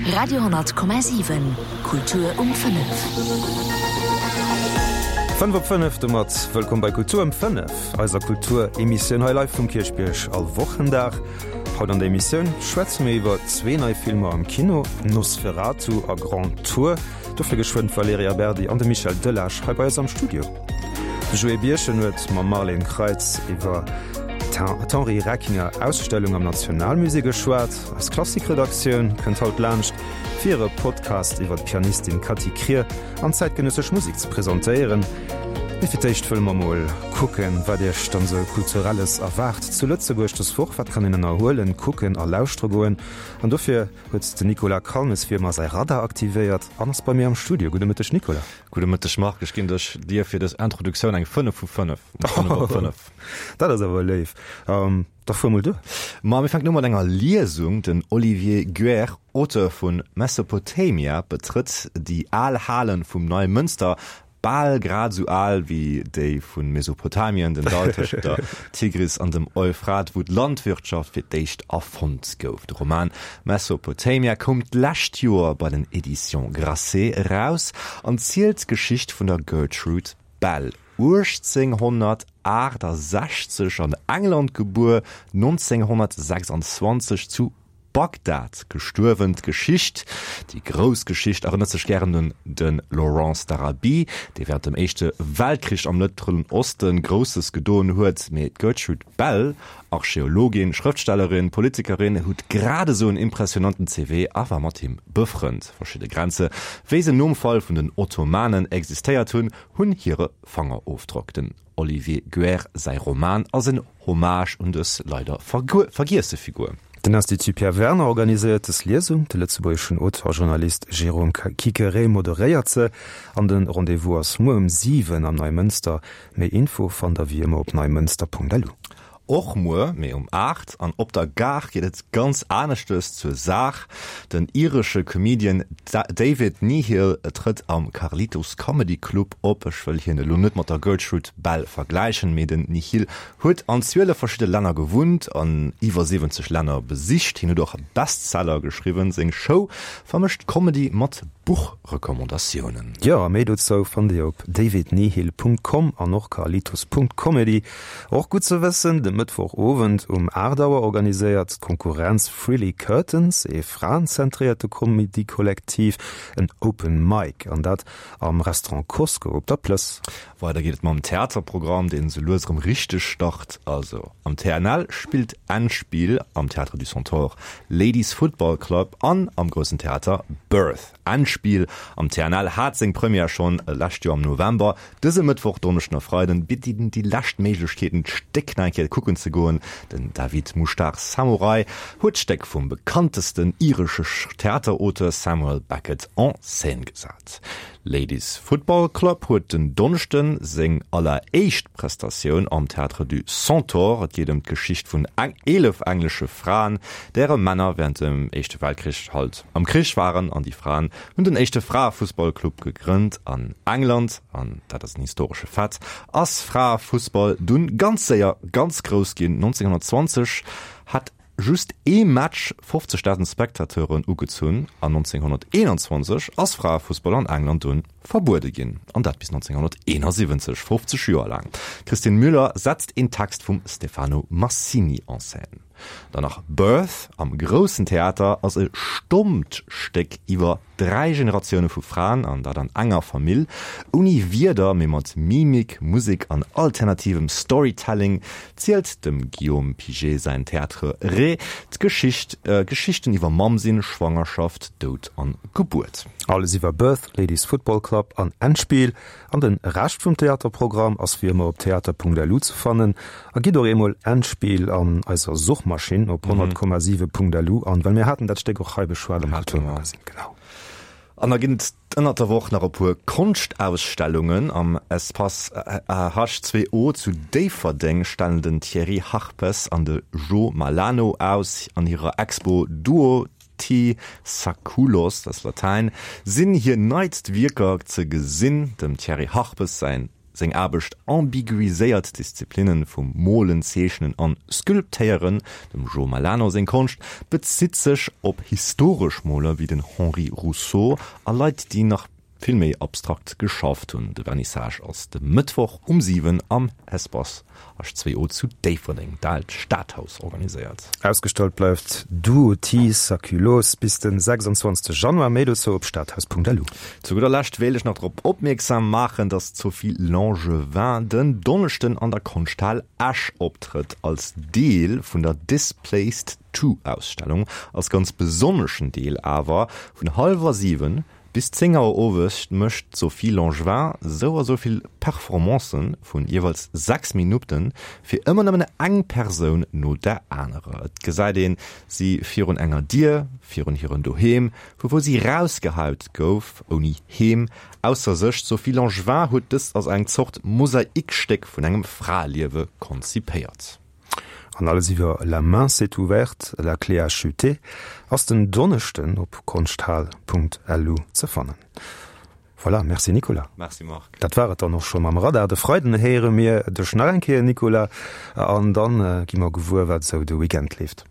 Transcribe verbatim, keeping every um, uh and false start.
Radio honnert Komma siwen, Kultur um fënnef. Fënnef op fënnef, domat wëllkomm bei Kultur um fënnef, eiser Kulturemissioun hei live vum Kierchbierg all Wochendag. Haut an der Emissioun schwätze mir iwwer zwee nei Filmer am Kino, Nosferatu a Grand Tour. Dofir geschwënn d'Valerija Berdi an de Michel Delage hei bei eis am Studio. De Joé Birchen huet mam Marlene Kreitz iwwer d'Henri Reckinger Ausstellung am Nationalmusée geschwat. Eis Klassikredaktioun kënnt haut laanscht, fir hire Podcast iwwer d'Pianistin Cati Krier an zäitgenëssesch Musek ze presentéieren. Mee fir d'éischt wëlle mer mol kucken, wat Iech dann esou Kulturelles erwaart zu Lëtzebuerg dës Woch. Wat kann een ënnerhuelen, kucken a lauschtere goen? An dofir huet den Nicolas Calmes wéi ëmmer säi Radar aktivéiert an ass bei mir am Studio. Gudde Mëtteg Nicolas. Gudde Mëtteg Marc, ech ginn dech dir fir dës Introduktioun eng fënnef vu fënnef. Fënnef op fënnef. Dat ass awer léif. Da fuer mol duer. Ma mir fänken u mat enger Liesung. Den Olivier Guerre, Auteur vun Mesopotamia, betrëtt déi al Halen vum Neimënster, bal grad esou al wéi déi vu Mesopotamien, den Dall tëschent der Tigris an dem Euphrat, wou d'Landwirtschaft fir d'éischt erfonnt gouf. De Roman Mesopotamia koum d'lescht Joer bei den Éditions Grasset eraus an zielt d'Geschicht vun der Gertrude Bell, uechtzénghonnertaachtasechzeg an England gebuer, nonzénghonnertsechsanzwanzeg zu Bagdad gestuerwen. D'Geschicht, déi grouss Geschicht, erënnert sech gären un de Lawrence d'Arabie, dee wärend dem Éischte Weltkrich am Mëttleren Oste Grousses gedoen huet. Mee d'Gertrude Bell, Archeologin, Schrëftstellerin, Politikerin, huet grad esou en impressionanten C V a war mat him befrënnt. Verschidde Grenze, wéi se nom Fall vun den Ottomanen existéiert hunn, hunn hire Fangerofdrock. Den Olivier Guerre säi Roman ass en Hommage un dës leider vergiesse Figur. Den Institut Pierre Werner organiséiert dës Liesung, de lëtzebuergeschen Auteur a Journalist Jérôme Quiquerez moderéiert se an de Rendez-vous ass muer um siwen am Neimënster. Méi Info fannt der wéi ëmmer op neimënster punkt lu. Och muer, mee um aacht an op der Gare geet et ganz aneschtes zur Saach. Den iresche Comedian David Nihill trëtt am Carlitos Comedy Club op. Ech wëll hien elo net mat der Gertrude Bell vergläichen, mee den Nihill huet an zwielef verschidde Länner gewunnt an iwwer siwwenzeg Länner besicht. Hien huet och Bestseller geschriwwen. Seng Show vermëscht Comedy mat Buchrecommandatiounen. Jo, a méi dozou fannt Dir op davidnihill punkt com an och carlitos punkt comedy. Och gutt ze wëssen, de Mëttwochowend um aacht Auer organiséiert d'Konkurrenz Frilly Curtains, ee fraenzentréierte Comedy-Kollektiv, en Open Mic, an dat am Restaurant Cosco op der Plëss. Weider geet et mam Theaterprogramm, deen sou lues erëm richteg start. Also am T N L spillt Endspiel, am Théâtre du Centaure Ladies Football Club an am Groussen Theater Birth. Endspiel am T N L hat seng Première schonn lescht Joer am November. Dëse Mëttwoch, Donneschden a Freiden bitt déi lescht Méiglechkeeten, d'Stéck nach eng Kéier kucken ze goen. Den David Mouchtar Samurai huet d'Stéck vum bekanntesten iresche Theaterauteur Samuel Beckett en scène gesat. Ladies Football Club huet den Donneschden seng alleréischt Prestatioun am Théâtre du Centaure. Et geet ëm d'Geschicht vun eelef englesche Fraen, däre Männer während dem Éischte Weltkrich halt am Krich waren, an déi Fraen hunn den éischte Fraefussballclub gegrënnt an England, an dat ass en historesche Fait, ass Fraefussball dunn ganz séier ganz grouss ginn. neunzehnhundertzwanzeg hat just ee Match fofzegdausend Spectateuren ugezunn an neunzehnhunderteenundzwanzeg ass Fraefussball an England dunn verbuede ginn, an dat bis neunzehnhunderteenundsiwwenzeg, fofzeg Joer laang. Christine Müller setzt een Text vum Stefano Massini en scène. Dann nach Birth am Groussen Theater ass e stommt Stéck iwwer dräi Generatioune vu Fraen, an dat an enger Famill, ouni Wierder, mee mat Mimik, Musek an alternativem Storytelling zielt dem Guillaume Piget säin Théâtre Ré d'Geschicht, Geschichten iwwer Mamm sinn, Schwangerschaft, Doud an Gebuert. Alles iwwer Birth, Ladies Football Club an Endspiel. An den Rescht vum Theaterprogramm ass wéi ëmmer op theater punkt lu ze fannen. A gitt och eemol Endspiel an eiser Suchmaschinn op honnert Komma siwe punkt lu an, well mir haten dat Stéck och hei beschwat am Kulturmagazin. Genau. An da ginn et ënnert der Woch nach e puer Konschtausstellungen. Am Espace H zwei O zu Déifferdeng stellen den Thierry Harpes an de Jo Malano aus an hirer Expo Duo T. Saculos, das Latein, sinn hir neitst Wierker ze gesinn. Dem Thierry Harpes säin Seng Aarbecht ambiguiséiert d'Disziplinne vum Molen, Zeechnen an Sculptéieren. Dem Jo Malano seng Konscht bezitt sech op historesch Moler wéi den Henri Rousseau a Leit, déi nach vill méi abstrakt geschafft hunn. De Vernissage ass de Mëttwoch um siwen am Espace H zwee O zu Déifferdeng, d'Aalt Stadhaus organiséiert. Ausgestallt bleift Duo Ti Saculos bis de sechsundzwanzeg Januar. Méi dozou op stadhaus Punkt L U. Zu gudder Lescht wéilt ech nach drop opmierksam maachen, dass d'Sophie Langevin den Donneschden an der Konschthal Esch optrëtt, als Deel vun der Displaced Two Ausstellung, als ganz besonneschen Deel awer vun hallwer siwen Bis zéng Auer owes mécht d'Sophie Langevin sou a sou vill Performancen vun jeeweils sechs Minutten, fir ëmmer nëmmen eng Persoun no der anerer. Et gesäit een si virun enger Dier, virun hirem Doheem, vu wou si rausgehaut gouf, ouni Heem, ausser sech. D'Sophie Langevin huet dëst als eng Zort Mosaikstéck vun engem Fraeliewe konzipéiert. An alles iwwer La main s'est ouverte, la clé a chuté ass den Donneschden op konschthal Punkt L U ze fannen. Voilà, merci Nicolas. Merci Marc. Dat war et dann och scho mam Radar. De Freiden héiere mir dech nach eng Kéier, Nicolas, an dann gi mer gewuer, wat esou de Weekend leeft.